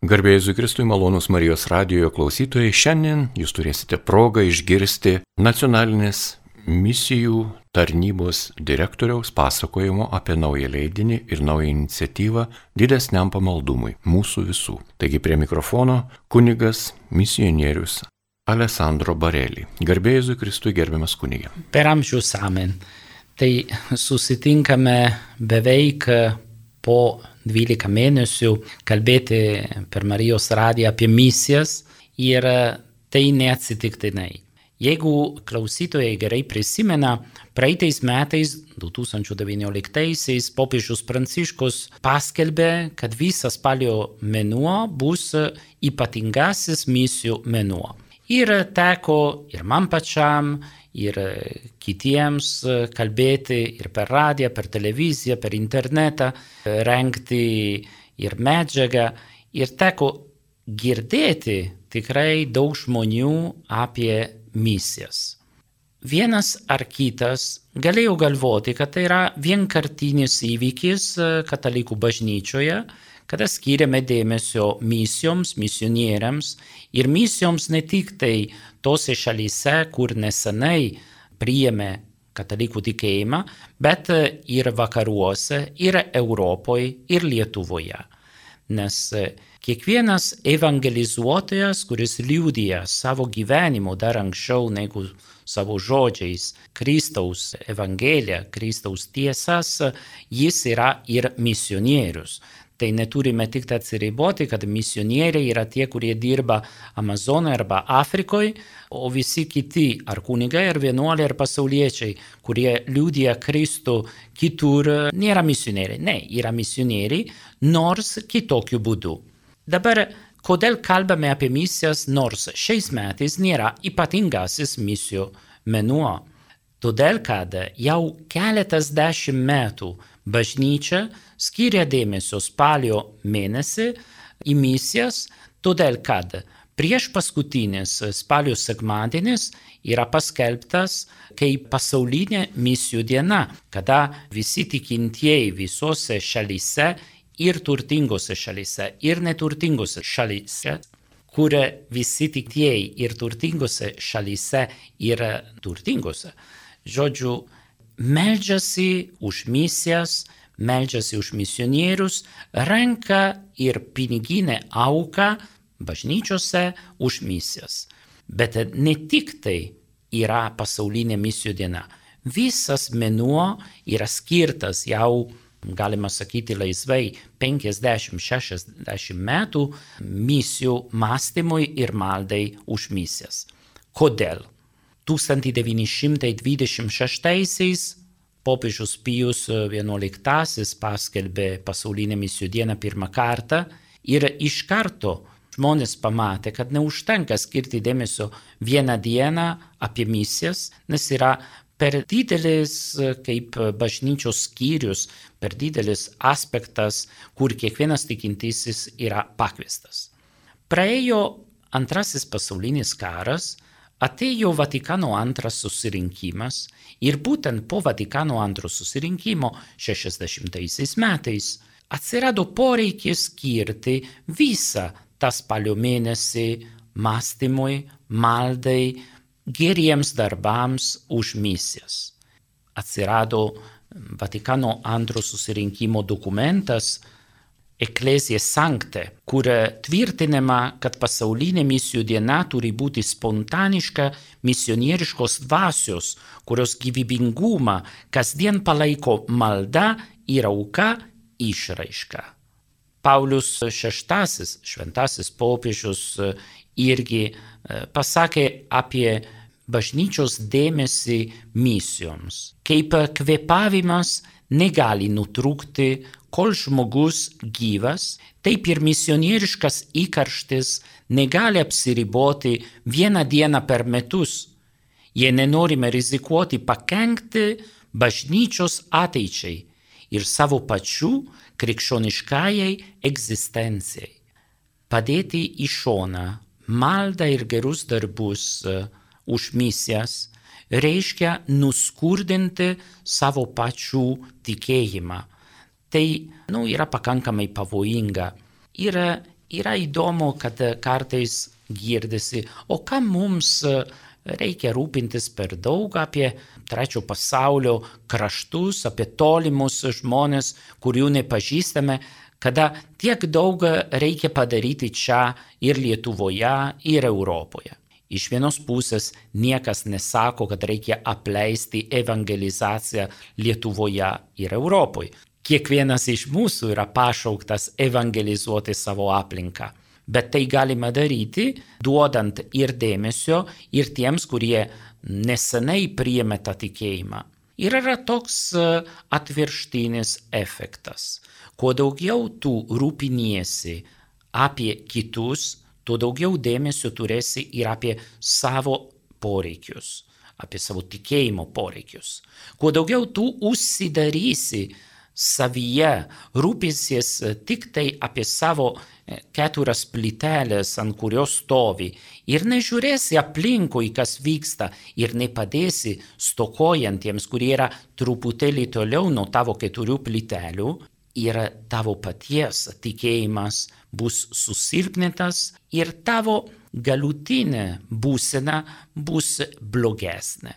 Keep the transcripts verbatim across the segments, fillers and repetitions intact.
Garbė Jėzui Kristui, malonūs Marijos radijo klausytojai, šiandien jūs turėsite progą išgirsti nacionalinės misijų tarnybos direktoriaus pasakojimo apie naują leidinį ir naują iniciatyvą didesniam pamaldumui mūsų visų. Taigi prie mikrofono kunigas misionierius Alessandro Barelli. Garbė Jėzui Kristui, gerbiamas kunige. Per amžius amen. Tai susitinkame beveik po dvylika mėnesių kalbėti per Marijos radiją apie misijas ir tai neatsitiktinai. Jeigu klausytojai gerai prisimena, praeitais metais, du tūkstančiai devynioliktaisiais, popiežius Pranciškus paskelbė, kad visas spalio mėnuo bus ypatingasis misijų mėnuo. Ir teko ir man pačiam, ir kitiems kalbėti ir per radiją, per televiziją, per internetą, rengti ir medžiagą. Ir teko girdėti tikrai daug žmonių apie misijas. Vienas ar kitas galėjo galvoti, kad tai yra vienkartinis įvykis katalikų bažnyčioje, kada skiriame dėmesio misijoms, misionieriams ir misijoms ne tik tai tose šalyse, kur nesenai priėmė katalikų tikėjimą, bet ir vakaruose, ir Europoje, ir Lietuvoje. Nes kiekvienas evangelizuotojas, kuris liudija savo gyvenimu dar anksčiau negu savo žodžiais Kristaus evangeliją, Kristaus tiesas, jis yra ir misionierius. Tai neturime tik atsiriboti, kad misionieriai yra tie, kurie dirba Amazonoje arba Afrikoje, o visi kiti, ar kunigai, ar vienuoliai, ar pasauliečiai, kurie liudija Kristų kitur, nėra misionieriai. Ne, yra misionieriai, nors kitokiu būdu. Dabar, kodėl kalbame apie misijas, nors šiais metais nėra ypatingasis misijų mėnuo? Todėl, kad jau keletas dešimt metų bažnyčia skiria dėmesio spalio mėnesį į misijas, todėl, kad prieš paskutinis spalio sekmadienis yra paskelbtas kaip pasaulinė misijų diena, kada visi tikintieji visose šalyse, ir turtingose šalyse, ir neturtingose šalyse, kur visi tikintieji ir turtingose šalyse yra turtingose. Žodžiu, meldžiasi už misijas, meldžiasi už misionierius, renka ir piniginę auką bažnyčiose už misijas. Bet ne tik tai yra pasaulinė misijų diena. Visas mėnuo yra skirtas jau, galima sakyti laisvai, penkiasdešimt šešiasdešimt metų misijų mąstymui ir maldai už misijas. Kodėl? tūkstantis devyni šimtai dvidešimt šeštaisiais popiežius Pijus vienuoliktasis paskelbė pasaulinę misijų dieną pirmą kartą ir iš karto žmonės pamatė, kad neužtenka skirti dėmesio vieną dieną apie misijas, nes yra per didelis kaip bažnyčios skyrius, per didelis aspektas, kur kiekvienas tikintysis yra pakviestas. Praėjo antrasis pasaulinis karas, atėjo Vatikano antras susirinkimas ir būtent po Vatikano antro susirinkimo šešiasdešimtaisiais metais atsirado poreikis skirti visą tą spalio mėnesį mąstymui, maldai, geriems darbams už misijas. Atsirado Vatikano antro susirinkimo dokumentas Ecclesia Sancte, kur tvirtinama, kad pasaulinė misijų diena turi būti spontaniška misionieriškos dvasios, kurios gyvybingumą kasdien palaiko malda ir auka išraiška. Paulius šeštasis, šventasis popiežius, irgi pasakė apie bažnyčios dėmesį misijoms, kaip kvėpavimas negali nutrūkti, kol žmogus gyvas, taip ir misionieriškas įkarštis negali apsiriboti vieną dieną per metus. Jei nenorime rizikuoti pakenkti bažnyčios ateičiai ir savo pačių krikščioniškajai egzistencijai. Padėti į šoną maldą ir gerus darbus už misijas reiškia nuskurdinti savo pačių tikėjimą. Tai nu, yra pakankamai pavojinga. Ir yra įdomu, kad kartais girdisi, o kam mums reikia rūpintis per daug apie trečio pasaulio kraštus, apie tolimus žmonės, kurių nepažįstame, kada tiek daug reikia padaryti čia ir Lietuvoje, ir Europoje. Iš vienos pusės niekas nesako, kad reikia apleisti evangelizaciją Lietuvoje ir Europoje. Kiekvienas iš mūsų yra pašauktas evangelizuoti savo aplinką. Bet tai galima daryti, duodant ir dėmesio, ir tiems, kurie nesenai priėmė tą tikėjimą. Ir yra toks atvirkštinis efektas. Kuo daugiau tu rūpiniesi apie kitus, tuo daugiau dėmesio turėsi ir apie savo poreikius, apie savo tikėjimo poreikius. Kuo daugiau tu užsidarysi savyje, rūpinsies tik tai apie savo keturias plyteles, ant kurios stovi, ir nežiūrėsi aplinkui, kas vyksta, ir nepadėsi stokojantiems, kurie yra truputėlį toliau nuo tavo keturių plytelių, ir tavo paties tikėjimas bus susilpnintas ir tavo galutinė būsena bus blogesnė.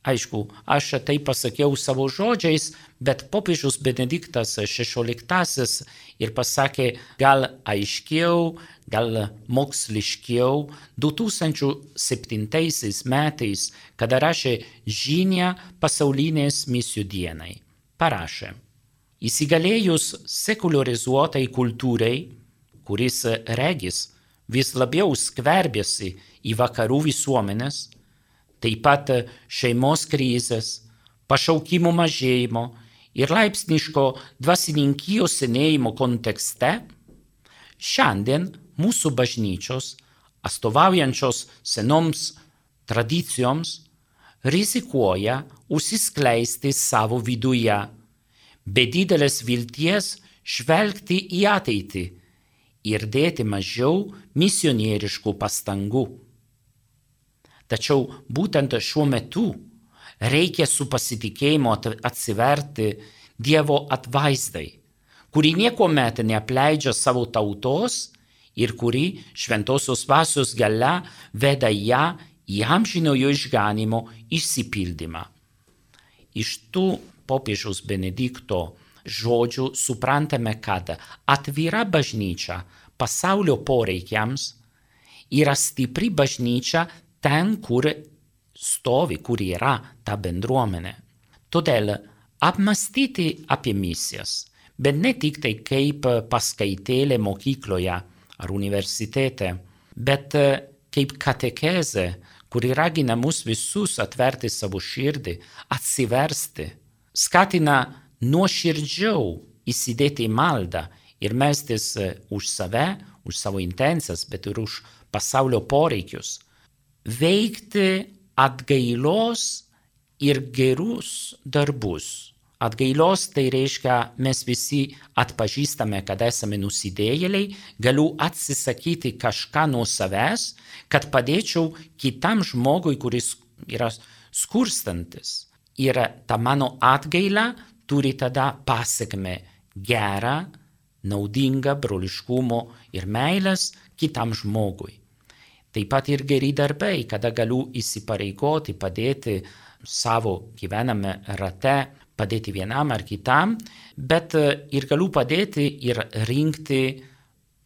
Aišku, aš tai pasakiau savo žodžiais, bet popiežius Benediktas šešioliktasis ir pasakė gal aiškiau, gal moksliškiau du tūkstančiai septintaisiais metais, kada rašė žinią pasaulinės misijų dienai. Parašė: įsigalėjus sekuliarizuotai kultūrai, kuris regis vis labiau skverbiasi į vakarų visuomenės, taip pat šeimos krizės, pašaukimų mažėjimo ir laipsniško dvasininkijos senėjimo kontekste, šiandien mūsų bažnyčios, atstovaujančios senoms tradicijoms, rizikuoja užsiskleisti savo viduje, be didelės vilties žvelgti į ateitį ir dėti mažiau misionieriškų pastangų. Tačiau būtent šiuo metu reikia su pasitikėjimu atsiverti Dievo atvaizdai, kuri niekuomet neapleidžia savo tautos ir kuri šventosios dvasios galia veda ją į amžinojo išganymo išsipildymą. Iš tų popiežiaus Benedikto žodžių suprantame, kad atvira bažnyčia pasaulio poreikiams yra stipri bažnyčia ten, kur stovi, kur yra ta bendruomenė. Todėl apmastyti apie misijas, bet ne tik tai kaip paskaitėlė mokykloje ar universitete, bet kaip katekezė, kuri ragina mus visus atverti savo širdį, atsiversti, skatina nuoširdžiau įsidėti į maldą ir melstis už save, už savo intencijas, bet ir už pasaulio poreikius. Veikti atgailos ir gerus darbus. Atgailos tai reiškia, mes visi atpažįstame, kad esame nusidėjėliai, galiu atsisakyti kažką nuo savęs, kad padėčiau kitam žmogui, kuris yra skurstantis. Ir ta mano atgaila turi tada pasekmę gerą, naudingą broliškumo ir meilės kitam žmogui. Taip pat ir geri darbai, kada galiu įsipareigoti, padėti savo gyvename rate, padėti vienam ar kitam, bet ir galiu padėti ir rinkti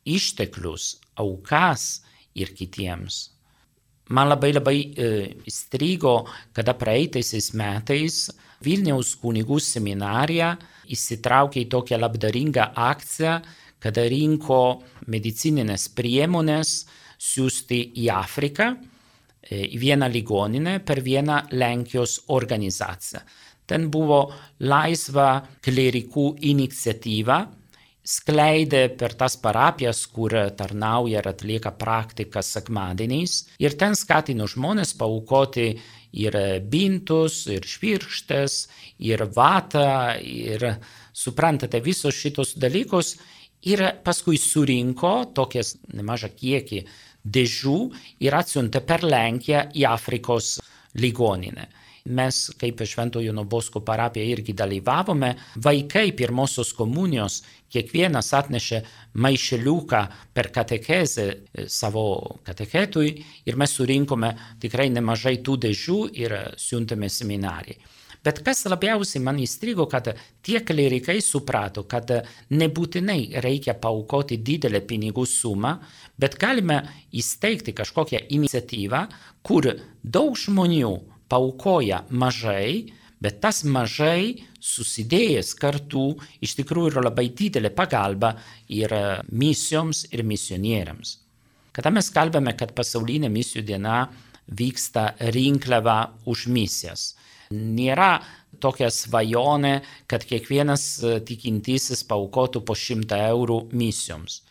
išteklius, aukas ir kitiems. Man labai labai įstrigo, kada praeitaisiais metais Vilniaus kunigų seminarija įsitraukė į tokią labdaringą akciją, kada rinko medicininės priemonės siūsti į Afriką, į vieną ligoninę per vieną Lenkijos organizaciją. Ten buvo laisva klerikų iniciatyva, skleidė per tas parapijas, kur tarnauja ir atlieka praktiką sekmadieniais, ir ten skatino žmonės paaukoti ir bintus, ir švirkštes, ir vatą, ir suprantate visus šitos dalykus, ir paskui surinko tokias nemažą kiekį dėžų ir atsiuntė per Lenkiją į Afrikos ligoninę. Mes, kaip Šventojo Jono Bosko parapija, irgi dalyvavome. Vaikai pirmosios komunijos, kiekvienas atnešė maišeliuką per katekezę savo katechetui ir mes surinkome tikrai nemažai tų dėžių ir siuntėme seminarijai. Bet kas labiausiai man įstrigo, kad tie klerikai suprato, kad nebūtinai reikia paaukoti didelę pinigų sumą, bet galime įsteigti kažkokią iniciatyvą, kur daug žmonių paaukoja mažai, bet tas mažai susidėjęs kartu iš tikrųjų yra labai didelė pagalba ir misijoms ir misionieriams. Kada mes kalbame, kad pasaulinė misijų diena vyksta rinkliava už misijas, nėra tokia svajonė, kad kiekvienas tikintysis paaukotų po šimtą eurų misijoms.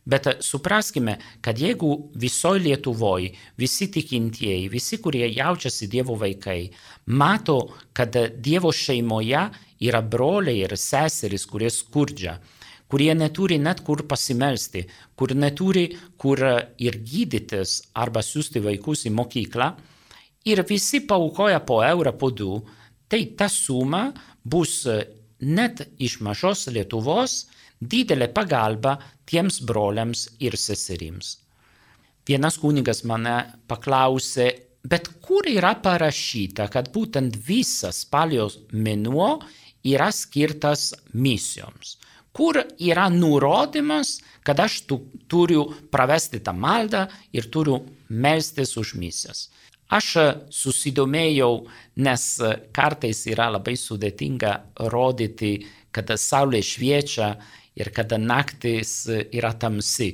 Bet supraskime, kad jeigu visoje Lietuvoje visi tikintieji, visi, kurie jaučiasi Dievo vaikai, mato, kad Dievo šeimoje yra broliai ir seserys, kurie skurdžia, kurie neturi net kur pasimelsti, kur neturi kur ir gydytis arba siųsti vaikus į mokyklą, ir visi paaukoja po eurą, po du, tai ta suma bus net iš mažos Lietuvos didelė pagalba tiems broliams ir seserims. Vienas kunigas mane paklausė, bet kur yra parašyta, kad būtent visas spalio mėnuo yra skirtas misijoms? Kur yra nurodymas, kad aš tu, turiu pravesti tą maldą ir turiu melstis už misijas? Aš susidomėjau, nes kartais yra labai sudėtinga rodyti, kada saulė šviečia ir kada naktis yra tamsi,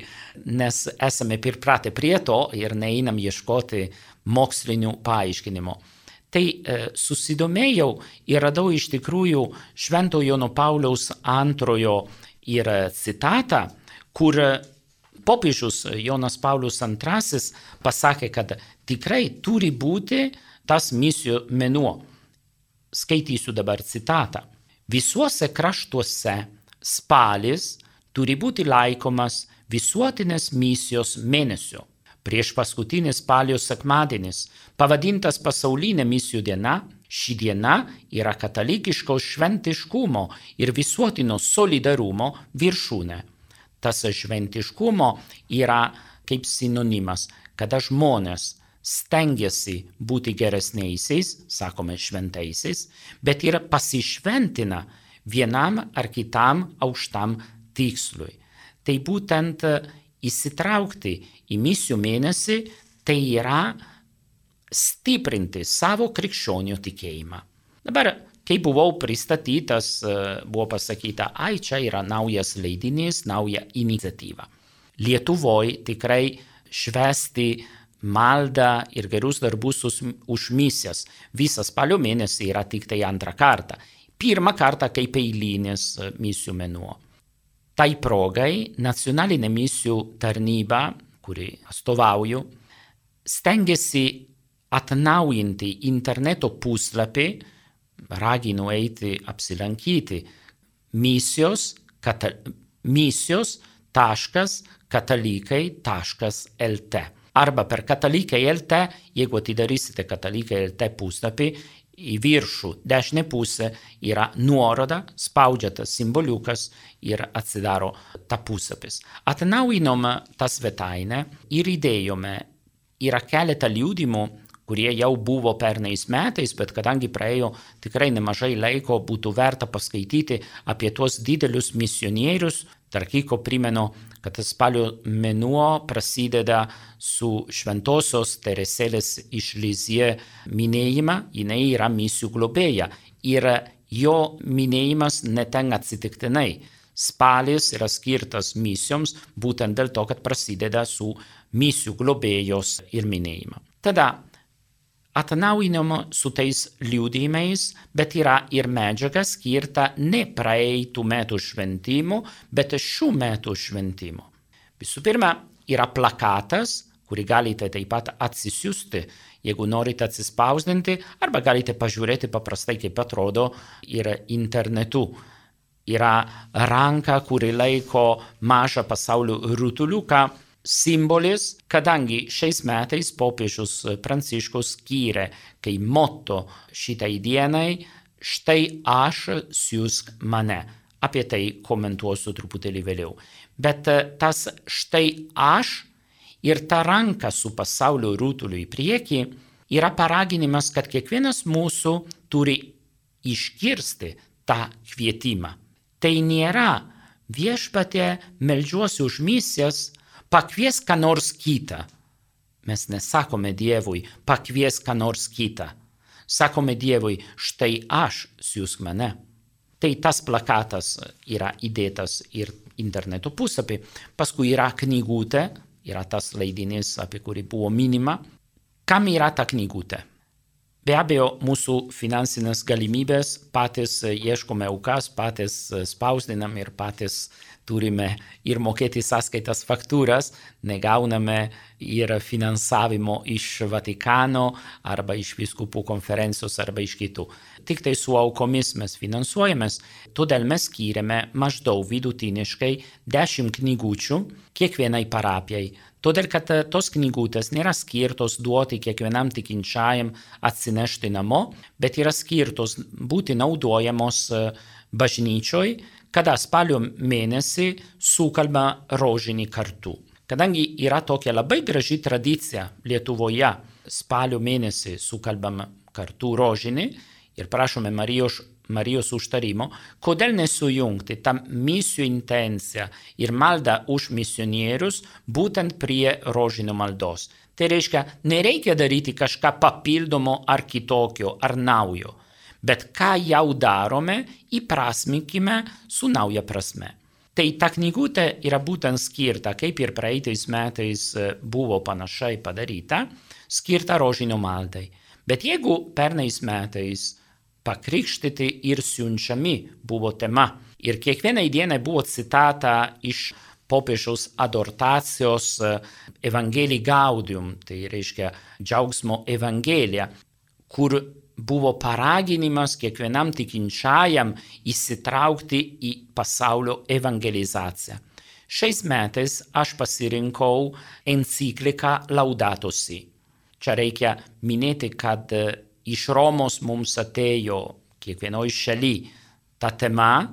nes esame pripratę prie to ir neeinam ieškoti mokslinių paaiškinimų. Tai susidomėjau ir radau iš tikrųjų Šventojo Jono Pauliaus antrojo ir citatą, kur popiežius Jonas Paulius antrasis pasakė, kad tikrai turi būti tas misijų mėnuo. Skaitysiu dabar citatą. Visuose kraštuose spalis turi būti laikomas visuotinės misijos mėnesio. Prieš paskutinis spalio sekmadienis, pavadintas pasaulinė misijų diena, ši diena yra katalikiško šventiškumo ir visuotino solidarumo viršūnė. Tas šventiškumo yra kaip sinonimas, kada žmonės stengiasi būti geresniaisiais, sakome šventaisiais, bet ir pasišventina vienam ar kitam aukštam tikslui. Tai būtent įsitraukti į misijų mėnesį, tai yra stiprinti savo krikščionių tikėjimą. Dabar, kai buvau pristatytas, buvo pasakyta, ai, čia yra naujas leidinys, nauja iniciatyva. Lietuvoje tikrai švęsti maldą ir gerus darbus už misijas. Visas spalio mėnesį yra tik tai antrą kartą. Pirmą kartą kaip eilinis misijų mėnuo. Tai progai nacionalinė misijų tarnyba, kuri atstovauju, stengiasi atnaujinti interneto puslapį, raginu eiti apsilankyti, misijos, kata, misijos taškas katalikai taškas lt. Arba per katalikai taškas lt, jeigu atidarysite katalikai taškas lt puslapį, į viršų dešinę pusę yra nuoroda, spaudžiatas simboliukas ir atsidaro ta puslapis. Atnaujinom tą svetainę ir įdėjome, yra keletą liudimų, kurie jau buvo pernais metais, bet kadangi praėjo tikrai nemažai laiko, būtų verta paskaityti apie tuos didelius misionierius. Tarp kitko primenu, kad spalio mėnuo prasideda su šventosios Teresėlės iš Lizie minėjimą, jinai yra misijų globėja ir jo minėjimas neten atsitiktinai. Spalis yra skirtas misijoms būtent dėl to, kad prasideda su misijų globėjos ir minėjimą. Tada atnaujinama su tais liudijimais, bet yra ir medžiaga skirta ne praeitų metų šventimų, bet šių metų šventimų. Visų pirma, yra plakatas, kurį galite taip pat atsisiųsti, jeigu norite atsispausdinti, arba galite pažiūrėti paprastai, kaip atrodo ir internetu. Yra ranka, kuri laiko mažą pasaulio rutuliuką, simbolis, kadangi šiais metais popiežius Pranciškus skyrė kai motto šitai dienai štai aš siųsk mane. Apie tai komentuosiu truputėlį vėliau. Bet tas štai aš ir ta ranka su pasaulio rutuliu į priekį yra paraginimas, kad kiekvienas mūsų turi išgirsti tą kvietimą. Tai nėra viešpatie, meldžiuosi už misijas, pakvies ką nors kitą. Mes nesakome Dievui, pakvies ką nors kitą. Sakome Dievui, štai aš siųsk mane. Tai tas plakatas yra įdėtas ir interneto puslapį. Paskui yra knygutė, yra tas leidinys, apie kurį buvo minima. Kam yra ta knygutė? Be abejo, mūsų finansinės galimybės, patys ieškome aukas, patys spausdinam ir patys turime ir mokėti sąskaitas faktūras, negauname ir finansavimo iš Vatikano arba iš vyskupų konferencijos arba iš kitų. Tik tai su aukomis mes finansuojamės, todėl mes skiriame maždaug vidutiniškai dešimt knygučių kiekvienai parapijai. Todėl, kad tos knygutės nėra skirtos duoti kiekvienam tikinčiajam atsinešti namo, bet yra skirtos būti naudojamos bažnyčioj, kada spalio mėnesį sukalba rožinį kartu. Kadangi yra tokia labai graži tradicija Lietuvoje, spalio mėnesį sukalbam kartu rožinį ir prašome Marijos Marijos užtarimo, kodėl nesujungti tą misijų intenciją ir maldą už misionierius būtent prie rožinio maldos. Tai reiškia, nereikia daryti kažką papildomo ar kitokio, ar naujo, bet ką jau darome, įprasminkime su nauja prasme. Tai ta knygutė yra būtent skirta, kaip ir praeitais metais buvo panašiai padaryta, skirta rožinio maldai. Bet jeigu pernais metais pakrikštyti ir siunčiami buvo tema. Ir kiekvienai dienai buvo citata iš popiežiaus adortacijos Evangelii Gaudium, tai reiškia džiaugsmo evangelija, kur buvo paraginimas kiekvienam tikinčiajam įsitraukti į pasaulio evangelizaciją. Šiais metais aš pasirinkau encikliką Laudato Si. Čia reikia minėti, kad iš Romos mums atėjo kiekvienoj šaly ta tema,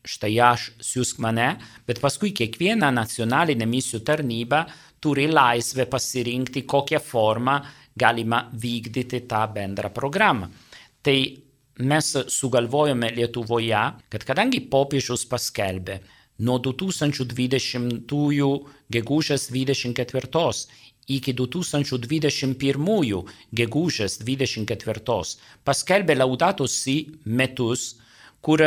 štai aš siųsk mane, bet paskui kiekviena nacionalinė misijų tarnyba turi laisvę pasirinkti, kokią formą galima vykdyti tą bendrą programą. Tai mes sugalvojome Lietuvoje, kad kadangi popiežius paskelbė nuo du tūkstančiai dvidešimtųjų gegužės dvidešimt ketvirtos iki du tūkstančiai dvidešimt pirmųjų gegužės dvidešimt ketvirtos paskelbė Laudato Si metus, kur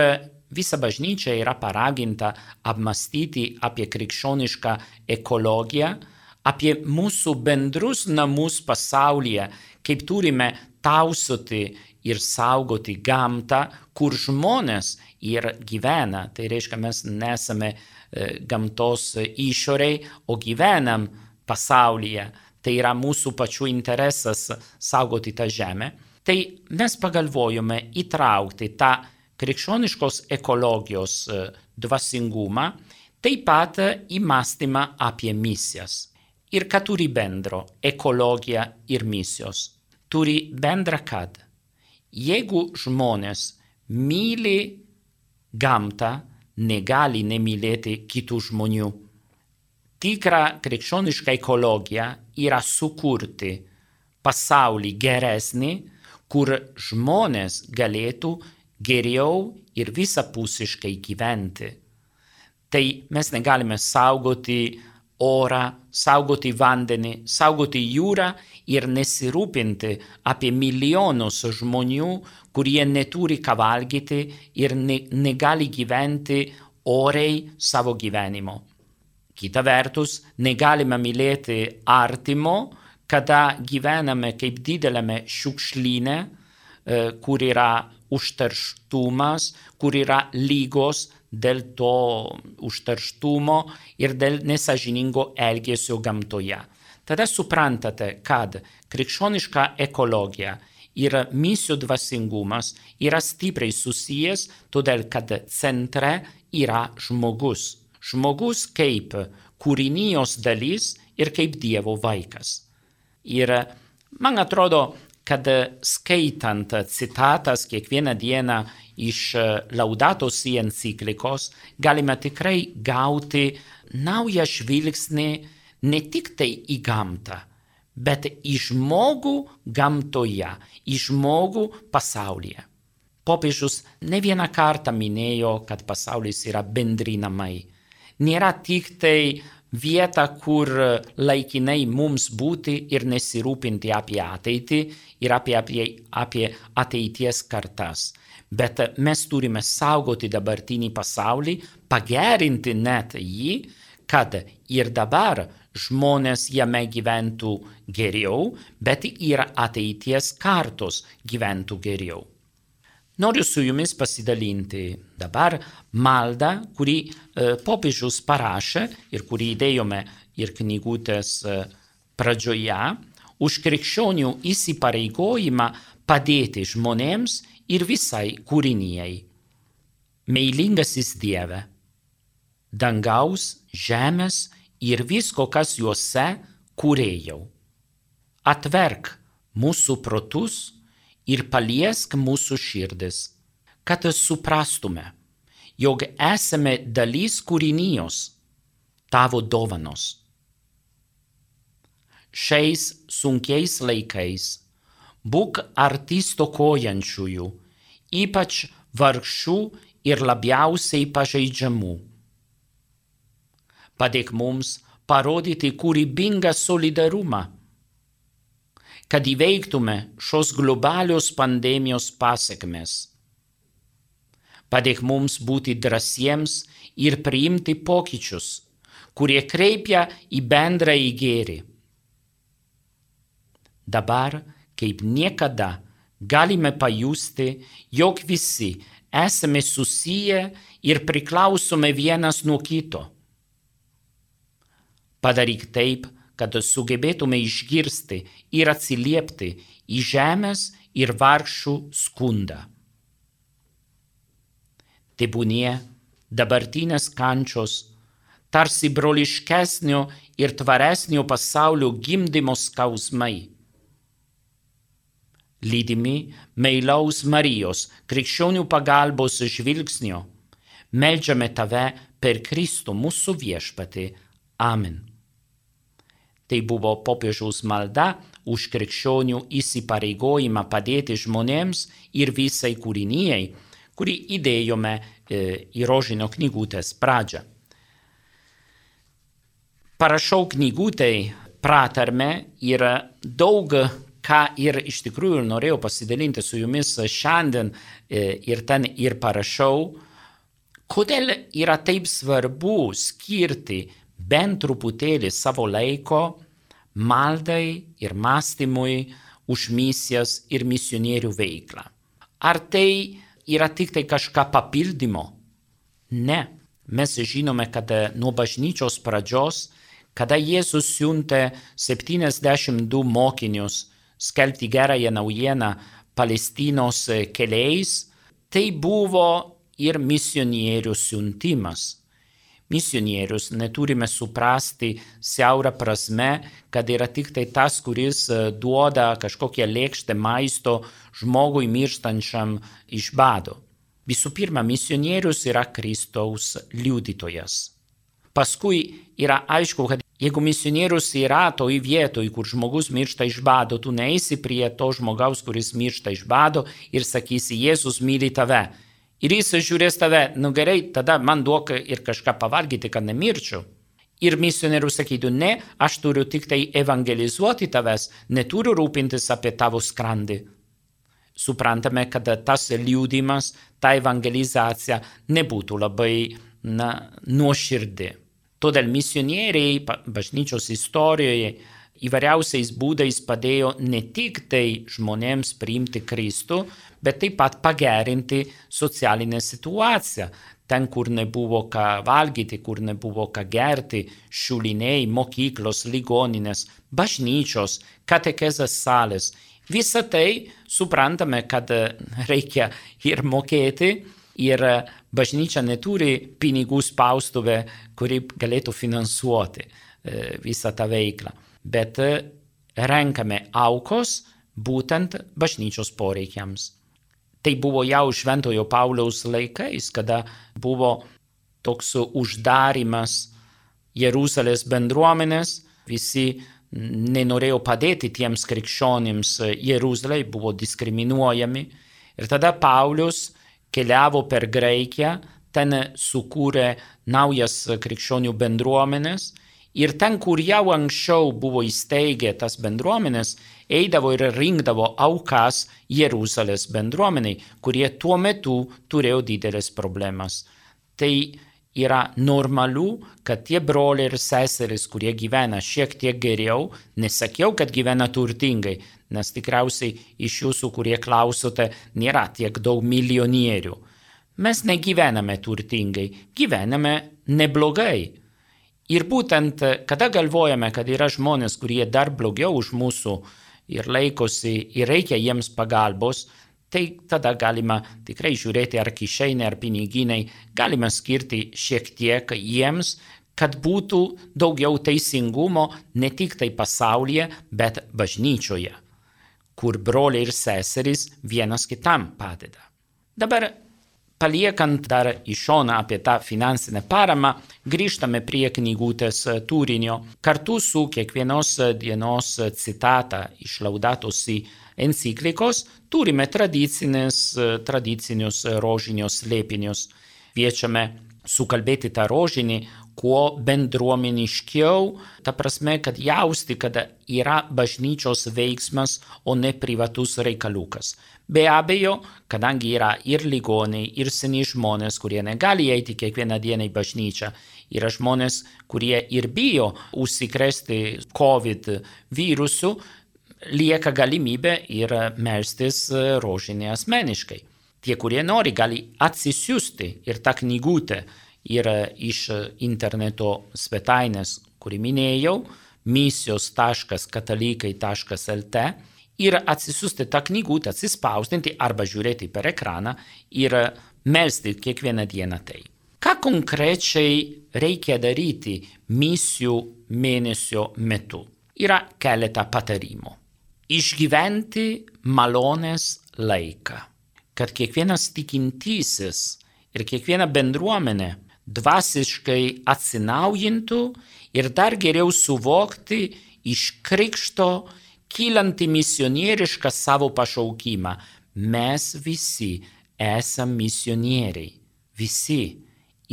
visa bažnyčia yra paraginta apmąstyti apie krikščionišką ekologiją, apie mūsų bendrus namus pasaulyje, kaip turime tausoti ir saugoti gamtą, kur žmonės ir gyvena. Tai reiškia, mes nesame gamtos išoriai, o gyvenam pasaulyje. Tai yra mūsų pačių interesas saugoti tą žemę. Tai mes pagalvojome įtraukti tą krikščioniškos ekologijos dvasingumą, taip pat įmąstymą apie misijas. Ir ką turi bendro ekologija ir misijos? Turi bendra, kad jeigu žmonės myli gamtą, negali nemylėti kitų žmonių. Tikra krikščioniška ekologija yra sukurti pasaulį geresnį, kur žmonės galėtų geriau ir visapusiškai gyventi. Tai mes negalime saugoti orą, saugoti vandenį, saugoti jūrą ir nesirūpinti apie milijonus žmonių, kurie neturi ką valgyti ir ne, negali gyventi oriai savo gyvenimo. Kita vertus, negalime mylėti artimo, kada gyvename kaip didelėme šiukšlyne, kur yra užterštumas, kur yra lygos dėl to užterštumo ir dėl nesąžiningo elgesio gamtoje. Tada suprantate, kad krikščioniška ekologija ir misijų dvasingumas yra stipriai susijęs, todėl kad centre yra žmogus. Žmogus kaip kūrinijos dalis ir kaip Dievo vaikas. Ir man atrodo, kad skaitant citatas kiekvieną dieną iš Laudato Si enciklikos, galime tikrai gauti naują žvilgsnį ne tik tai į gamtą, bet į žmogų gamtoje, į žmogų pasaulyje. Popiežius ne vieną kartą minėjo, kad pasaulis yra bendri namai. Nėra tik tai vieta, kur laikinai mums būti ir nesirūpinti apie ateitį ir apie, apie, apie ateities kartas. Bet mes turime saugoti dabartinį pasaulį, pagerinti net jį, kad ir dabar žmonės jame gyventų geriau, bet ir ateities kartos gyventų geriau. Noriu su jumis pasidalinti dabar maldą, kurį e, popiežius parašė ir kurį įdėjome ir knygutės e, pradžioje, už krikščionių įsipareigojimą padėti žmonėms ir visai kūrinijai. Meilingasis Dieve, dangaus, žemės ir visko, kas juose kūrėjau. Atverk mūsų protus ir paliesk mūsų širdis, kad suprastume, jog esame dalis kūrinijos, tavo dovanos. Šiais sunkiais laikais būk arti stokojančiųjų, ypač vargšų ir labiausiai pažeidžiamų. Padėk mums parodyti kūrybingą solidarumą, kad įveiktume šios globalios pandemijos pasekmes. Padėk mums būti drąsiems ir priimti pokyčius, kurie kreipia į bendrąjį gėrį. Dabar, kaip niekada, galime pajusti, jog visi esame susiję ir priklausome vienas nuo kito. Padaryk taip, kad sugebėtume išgirsti ir atsiliepti į žemės ir vargšų skundą. Tebūnie dabartinės kančios, tarsi broliškesnio ir tvaresnio pasaulio gimdymo skausmai. Lydimi meilaus Marijos, krikščionių pagalbos žvilgsnio, meldžiame tave per Kristų mūsų viešpatį. Amen. Tai buvo popiežiaus malda už krikščionių įsipareigojimą padėti žmonėms ir visai kūrinijai, kurį įdėjome e, į rožinio knygutės pradžią. Parašau knygutei pratarmę ir daug ką ir iš tikrųjų norėjau pasidalinti su jumis šiandien e, ir ten ir parašau, kodėl yra taip svarbu skirti bent truputėlį savo laiko maldai ir mąstymui už misijas ir misionierių veiklą. Ar tai yra tik tai kažką papildymo? Ne. Mes žinome, kad nuo bažnyčios pradžios, kada Jėzus siuntė septyniasdešimt du mokinius skelbti gerąją naujieną Palestinos keliais, tai buvo ir misionierių siuntimas. Misionierius neturime suprasti siaurą prasme, kad yra tik tai tas, kuris duoda kažkokią lėkštę maisto žmogui mirštančiam iš bado. Visų pirma, misionierius yra Kristaus liudytojas. Paskui yra aišku, kad jeigu misionierius yra toj vietoj, kur žmogus miršta iš bado, tu neisi prie to žmogaus, kuris miršta iš bado ir sakysi, Jėzus myli tave. Ir jis žiūrės tave, nu gerai, tada man duok ir kažką pavalgyti, kad nemirčiau. Ir misionierius sakytų, ne, aš turiu tik tai evangelizuoti tavęs, neturiu rūpintis apie tavo skrandį. Suprantame, kad tas liudimas, ta evangelizacija nebūtų labai na, nuoširdi. Todėl misionieriai bažnyčios istorijoje įvairiausiais būdais padėjo ne tik tai žmonėms priimti Kristų, bet taip pat pagerinti socialinę situaciją. Ten, kur nebuvo ką valgyti, kur nebuvo ką gerti, šuliniai, mokyklos, ligoninės, bažnyčios, katekezės salės. Visą tai suprantame, kad reikia ir mokėti, ir bažnyčia neturi pinigų spaustuvę, kuri galėtų finansuoti visą tą veiklą, bet renkame aukos būtent bažnyčios poreikiams. Tai buvo jau Šventojo Pauliaus laikais, kada buvo toks uždarimas Jeruzalės bendruomenės, visi nenorėjo padėti tiems krikščionims Jeruzalėje, buvo diskriminuojami. Ir tada Paulius keliavo per Graikiją, ten sukūrė naujas krikščionių bendruomenės ir ten, kur jau anksčiau buvo įsteigę tas bendruomenės, eidavo ir rinkdavo aukas Jeruzalės bendruomeniai, kurie tuo metu turėjo didelės problemas. Tai yra normalu, kad tie broliai ir seserys, kurie gyvena šiek tiek geriau, nesakiau, kad gyvena turtingai, nes tikriausiai iš jūsų, kurie klausote, nėra tiek daug milijonierių. Mes negyvename turtingai, gyvename neblogai. Ir būtent, kada galvojame, kad yra žmonės, kurie dar blogiau už mūsų ir laikosi ir reikia jiems pagalbos, tai tada galima tikrai žiūrėti ar kišenė, ar piniginai, galima skirti šiek tiek jiems, kad būtų daugiau teisingumo ne tik tai pasaulyje, bet bažnyčioje, kur broliai ir seserys vienas kitam padeda. Dabar paliekant dar į šoną apie tą finansinę paramą, grįžtame prie knygutės turinio. Kartu su kiekvienos dienos citata iš Laudato Si enciklikos turime tradicinius rožinius slėpinius. Kviečiame sukalbėti tą rožinį kuo bendruomeniškiau, ta prasme, kad jausti, kad yra bažnyčios veiksmas, o ne privatus reikalukas. Be abejo, kadangi yra ir ligoniai, ir seni žmonės, kurie negali eiti kiekvieną dieną į bažnyčią, yra žmonės, kurie ir bijo užsikrėsti COVID virusu, lieka galimybė ir melstis rožinį asmeniškai. Tie, kurie nori, gali atsisiųsti ir tą knygutę ir iš interneto svetainės, kurį minėjau, misijos taškas katalikai taškas lt, ir atsisiųsti tą knygutę, atsispausdinti arba žiūrėti per ekraną ir melsti kiekvieną dieną tai. Ką konkrečiai reikia daryti misijų mėnesio metu? Yra keletą patarimų. Išgyventi malonės laiką, kad kiekvienas tikintysis ir kiekviena bendruomenė dvasiškai atsinaujintų ir dar geriau suvokti iš krikšto kylantį misionierišką savo pašaukimą. Mes visi esam misionieriai, visi,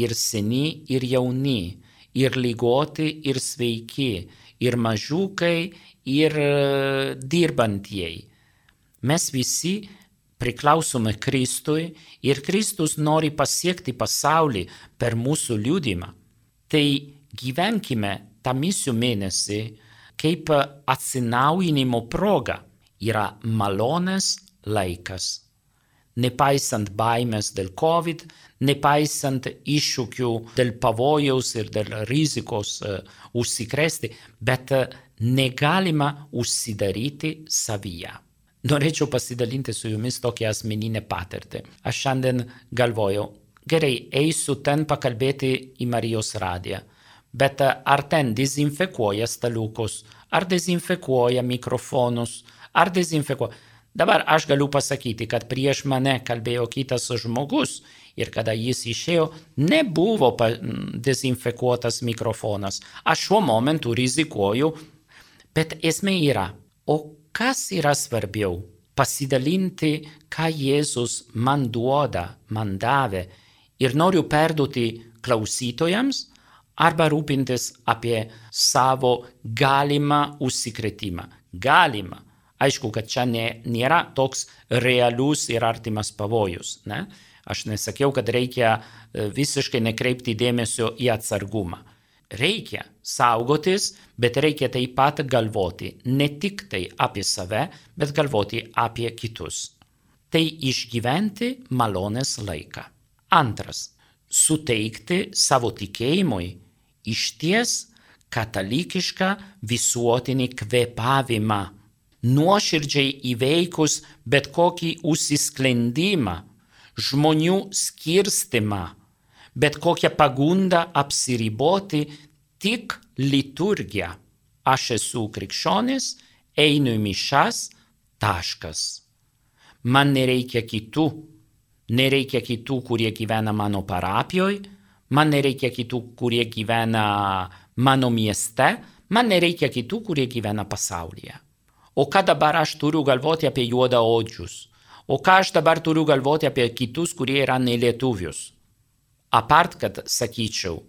ir seni, ir jauni, ir ligoti, ir sveiki, ir mažiukai, ir dirbantieji. Mes visi priklausome Kristui ir Kristus nori pasiekti pasaulį per mūsų liudymą. Tai gyvenkime tą misijų mėnesį kaip atsinaujinimo proga. Yra malonės laikas. Nepaisant baimės dėl COVID, nepaisant iššūkių dėl pavojaus ir dėl rizikos uh, užsikrėsti, bet uh, negalima užsidaryti savyje. Norėčiau pasidalinti su jumis tokią asmeninę patirtį. Aš šiandien galvojau, gerai, eisiu ten pakalbėti į Marijos radiją, bet ar ten dezinfekuoja staliukus, ar dezinfekuoja mikrofonus, ar dezinfekuoja. Dabar aš galiu pasakyti, kad prieš mane kalbėjo kitas žmogus ir kada jis išėjo, nebuvo dezinfekuotas mikrofonas. Aš šiuo momentu rizikuoju, bet esmė yra, o kas yra svarbiau? Pasidalinti, ką Jėzus man duoda, man davė ir noriu perduoti klausytojams arba rūpintis apie savo galimą užsikrėtimą. Galimą. Aišku, kad čia nėra toks realus ir artimas pavojus. Ne? Aš nesakiau, kad reikia visiškai nekreipti dėmesio į atsargumą. Reikia saugotis, bet reikia taip pat galvoti ne tik tai apie save, bet galvoti apie kitus. Tai išgyventi malonės laiką. Antras, suteikti savo tikėjimui išties katalikišką visuotinį kvėpavimą. Nuoširdžiai įveikus bet kokį užsisklendimą, žmonių skirstimą, bet kokią pagundą apsiriboti tik liturgija. Aš esu krikščionis, einu į mišas, taškas. Man nereikia kitų, nereikia kitų, kurie gyvena mano parapijoje, man nereikia kitų, kurie gyvena mano mieste, man nereikia kitų, kurie gyvena pasaulyje. O ką dabar aš turiu galvoti apie juodaodžius? O ką aš dabar turiu galvoti apie kitus, kurie yra nelietuvius? Apart, kad sakyčiau,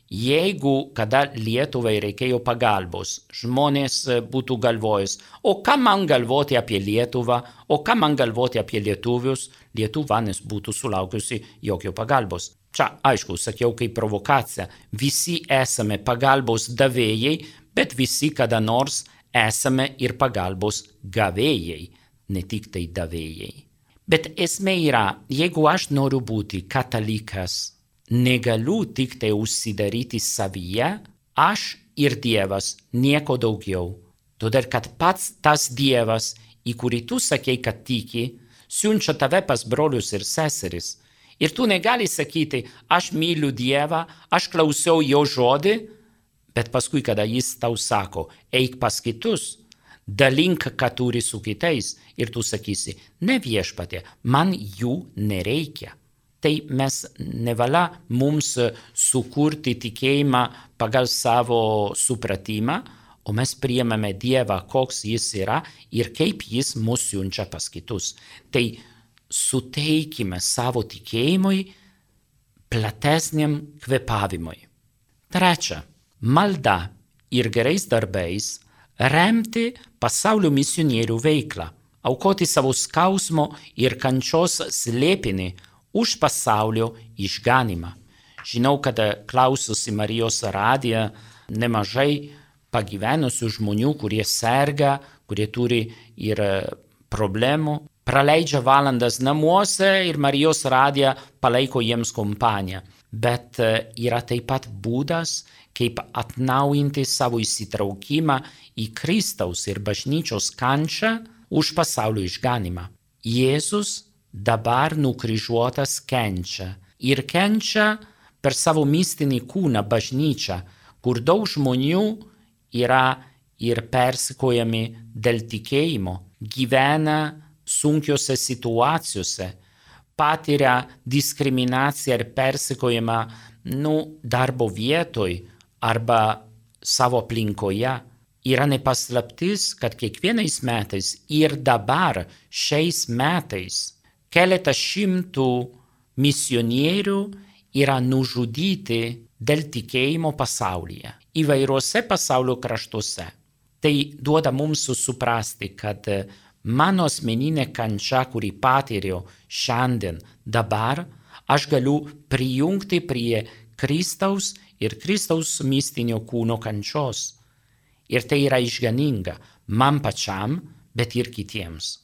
jeigu kada Lietuvai reikėjo pagalbos, žmonės būtų galvojęs, o ką man galvoti apie Lietuvą, o ką man galvoti apie lietuvius, Lietuva nebūtų sulaukusi jokio pagalbos. Čia, aišku, sakiau kaip provokacija, visi esame pagalbos davėjai, bet visi kada nors esame ir pagalbos gavėjai, ne tik tai davėjai. Bet esmė yra, jeigu aš noriu būti katalikas, negaliu tik tai užsidaryti savyje, aš ir Dievas, nieko daugiau. Todėl, kad pats tas Dievas, į kurį tu sakei, kad tiki, siunčia tave pas brolius ir seseris. Ir tu negali sakyti, aš myliu Dievą, aš klausiau jo žodį, bet paskui, kada jis tau sako, eik pas kitus, dalink, ką turi su kitais, ir tu sakysi, ne viešpatie, man jų nereikia. Tai mes nevalia mums sukurti tikėjimą pagal savo supratimą, o mes priimame Dievą, koks jis yra ir kaip jis mus siunčia pas kitus. Tai suteikime savo tikėjimui platesniam kvėpavimui. Trečia, malda ir gerais darbais remti pasaulio misionierių veiklą, aukoti savo skausmo ir kančios slėpinį už pasaulio išganimą. Žinau, kad klausosi Marijos radiją nemažai pagyvenusių žmonių, kurie serga, kurie turi ir problemų, praleidžia valandas namuose ir Marijos radija palaiko jiems kompaniją. Bet yra taip pat būdas, kaip atnaujinti savo įsitraukimą į Kristaus ir bažnyčios kančią už pasaulio išganimą. Jėzus dabar nukryžiuotas kenčia ir kenčia per savo mistinį kūną bažnyčią, kur daug žmonių yra ir persekiojami dėl tikėjimo, gyvena sunkiose situacijose, patiria diskriminaciją ir persekiojimą nu, darbo vietoj arba savo aplinkoje. Yra nepaslaptis, kad kiekvienais metais ir dabar šiais metais keletą šimtų misionierių yra nužudyti dėl tikėjimo pasaulyje, įvairiuose pasaulio kraštuose. Tai duoda mums suprasti, kad mano asmeninė kančia, kurį patyriau šiandien, dabar, aš galiu prijungti prie Kristaus ir Kristaus mistinio kūno kančios. Ir tai yra išganinga man pačiam, bet ir kitiems.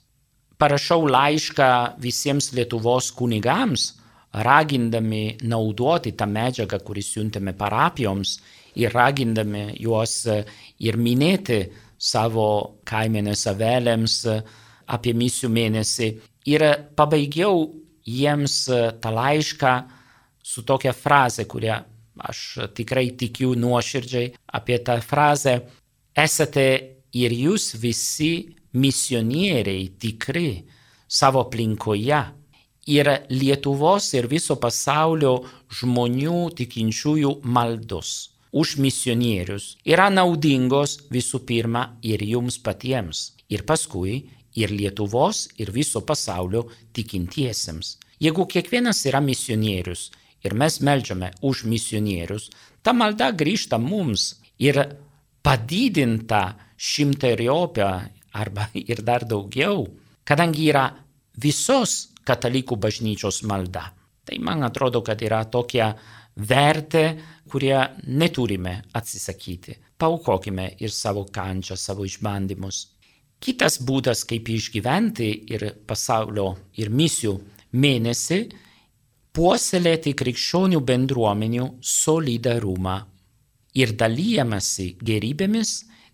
Parašau laišką visiems Lietuvos kunigams, ragindami naudoti tą medžiagą, kurį siuntėme parapijoms, ir ragindami juos ir minėti savo kaimenės avelėms apie misijų mėnesį. Ir pabaigiau jiems tą laišką su tokia fraze, kurią aš tikrai tikiu nuoširdžiai. Apie tą frazę: esate ir jūs visi misionieriai tikri savo aplinkoje. Ir Lietuvos ir viso pasaulio žmonių tikinčiųjų maldos už misionierius yra naudingos visų pirma ir jums patiems, ir paskui ir Lietuvos ir viso pasaulio tikintiesiems. Jeigu kiekvienas yra misionierius ir mes meldžiame už misionierius, ta malda grįžta mums ir padidinta šimteriopą arba ir dar daugiau, kadangi yra visos katalikų bažnyčios malda. Tai man atrodo, kad yra tokia vertė, kurie neturime atsisakyti. Paaukokime ir savo kančią, savo išbandymus. Kitas būdas, kaip išgyventi ir pasaulio ir misijų mėnesį, puoselėti krikščionių bendruomenių solidarumą ir dalijamasi gerybėmis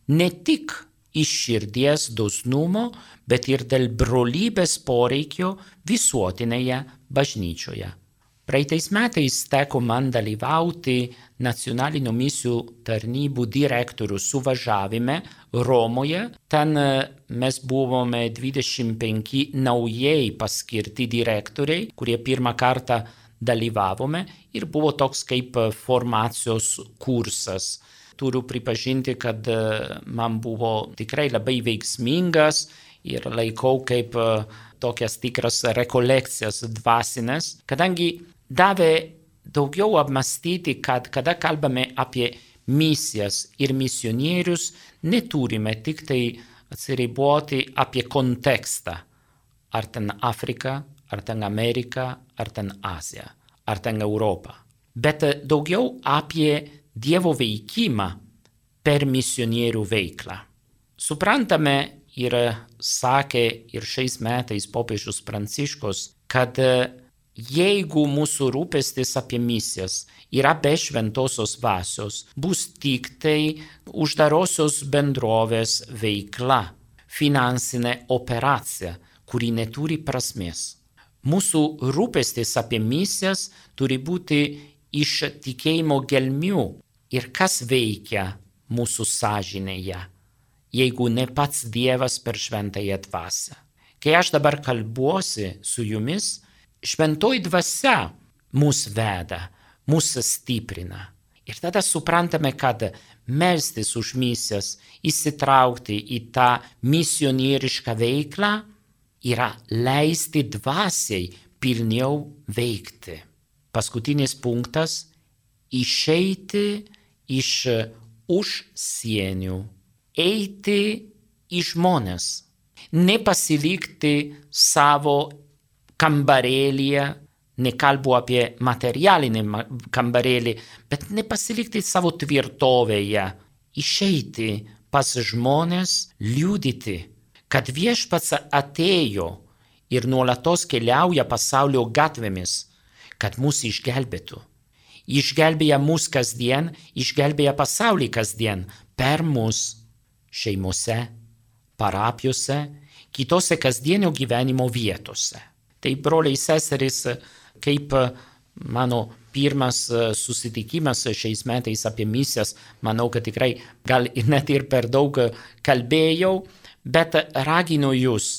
ne tik iš širdies dosnumo, bet ir dėl brolybės poreikio visuotinėje bažnyčioje. Praeitais metais teko man dalyvauti nacionalinio misijų tarnybų direktorių suvažiavime Romoje. Ten mes buvome dvidešimt penki naujai paskirti direktoriai, kurie pirmą kartą dalyvavome ir buvo toks kaip formacijos kursas. Turiu pripažinti, kad man buvo tikrai labai veiksmingas ir laikau kaip tokias tikras rekolekcijas dvasinės, kadangi davė daugiau apmastyti, kad kada kalbame apie misijas ir misionierius, neturime tik tai atsiriboti apie kontekstą. Ar ten Afrika, ar ten Amerika, ar ten Azija, ar ten Europa. Bet daugiau apie Dievo veikimą per misionierių veiklą. Suprantame ir sakė ir šiais metais popiežius Pranciškus, kad jeigu mūsų rūpestis apie misijas yra be šventosios dvasios, bus tik tai uždarosios bendrovės veikla, finansinė operacija, kuri neturi prasmės. Mūsų rūpestis apie misijas turi būti iš tikėjimo gelmių ir kas veikia mūsų sąžinėje, jeigu ne pats Dievas per šventąją dvasią. Kai aš dabar kalbuosi su jumis, šventoji dvasia mus veda, mus stiprina. Ir tada suprantame, kad melstis už misijas, įsitraukti į tą misionierišką veiklą yra leisti dvasiai pilniau veikti. Paskutinis punktas – išeiti iš už sienių, eiti į žmones, nepasilikti savo kambarėlyje, nekalbu apie materialinį kambarėlį, bet nepasilikti savo tvirtovėje, išeiti pas žmones, liudyti, kad viešpats atėjo ir nuolatos keliauja pasaulio gatvėmis, kad mus išgelbėtų. Išgelbėja mus kasdien, išgelbėja pasaulį kasdien per mus šeimose, parapijose, kitose kasdienio gyvenimo vietose. Tai broliai seserys, kaip mano pirmas susitikimas šiais metais apie misijas, manau, kad tikrai gal net ir per daug kalbėjau, bet raginu jūs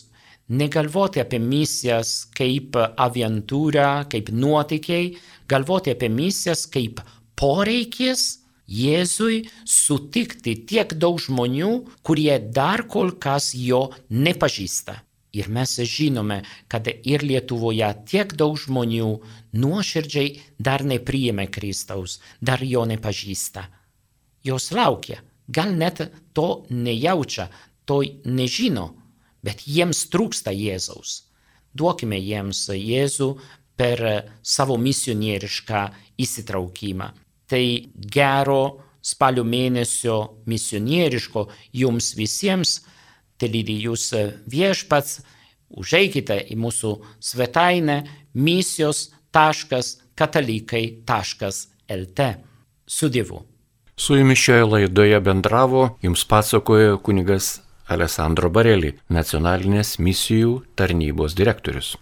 negalvoti apie misijas kaip aviantūrą, kaip nuotykiai, galvoti apie misijas kaip poreikis Jėzui sutikti tiek daug žmonių, kurie dar kol kas jo nepažįsta. Ir mes žinome, kad ir Lietuvoje tiek daug žmonių nuoširdžiai dar nepriėmė Kristaus, dar jo nepažįsta. Jos laukia, gal net to nejaučia, to nežino, bet jiems trūksta Jėzaus. Duokime jiems Jėzų per savo misionierišką įsitraukimą. Tai gero spalio mėnesio misionieriško jums visiems, te lydi jūs viešpats, užeikite į mūsų svetainę misijos taškas katalikai taškas lt. Su Dievu. Su jumis šioje laidoje bendravo, jums pasakojo kunigas Alessandro Bareli, nacionalinės misijų tarnybos direktorius.